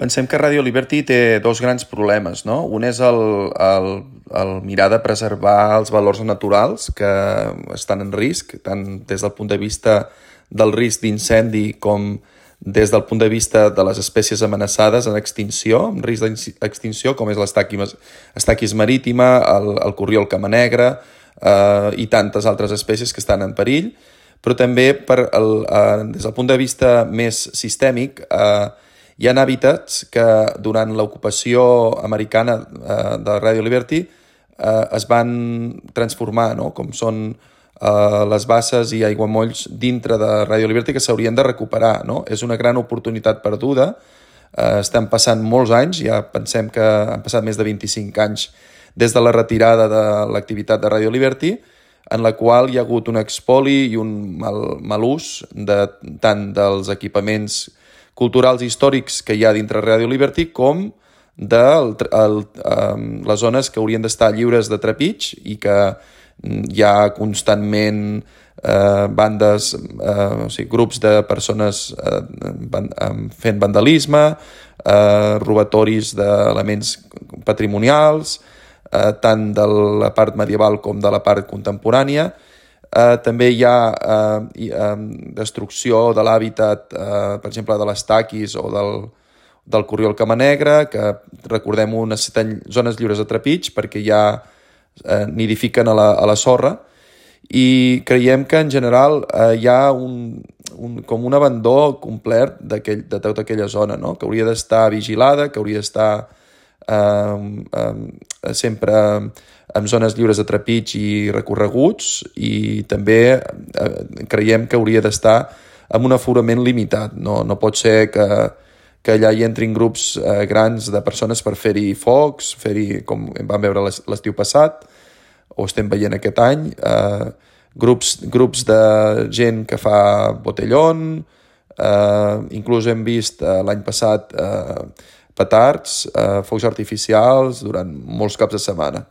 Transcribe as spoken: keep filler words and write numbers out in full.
Pensem que Radio Liberty té dos grans problemes, no? Un és el, el, el mirar de preservar els valors naturals que estan en risc, tant des del punt de vista del risc d'incendi com des del punt de vista de les espècies amenaçades en extinció, en risc d'extinció, com és l'estaquis marítima, el, el corriol camanegre eh, i tantes altres espècies que estan en perill, però també per el, eh, des del punt de vista més sistèmic eh, hi ha hàbitats que durant l'ocupació americana eh, de Radio Liberty eh, es van transformar, no? Com són eh, les basses i aiguamolls dintre de Radio Liberty que s'haurien de recuperar, no? És una gran oportunitat perduda. Eh, estan passant molts anys, ja pensem que han passat més de vint-i-cinc anys des de la retirada de l'activitat de Radio Liberty, en la qual hi ha hagut un expoli i un mal, mal ús de, tant dels equipaments culturals i històrics que hi ha dintre Radio Liberty com de el, el, um, les zones que haurien d'estar lliures de trepig i que hi ha constantment eh, bandes, eh, o sigui, grups de persones eh, van, eh, fent vandalisme, eh, robatoris d'elements patrimonials, eh, tant de la part medieval com de la part contemporània. Uh, també hi ha uh, i, uh, destrucció de l'hàbitat, uh, per exemple, de les taquis o del, del corriol camanegre, que, recordem-ho, necessiten zones lliures de trepig perquè ja uh, nidifiquen a la, a la sorra, i creiem que, en general, uh, hi ha un, un, com un abandó complet de tota aquella zona, no? Que hauria d'estar vigilada, que hauria d'estar uh, uh, sempre amb zones lliures de trepig i recorreguts, i també eh, creiem que hauria d'estar amb un aforament limitat. No, no pot ser que, que allà hi entrin grups eh, grans de persones per fer-hi focs, fer-hi, com vam veure l'estiu passat, o estem veient aquest any, eh, grups, grups de gent que fa botellón, eh, inclús hem vist eh, l'any passat eh, petards, eh, focs artificials durant molts caps de setmana.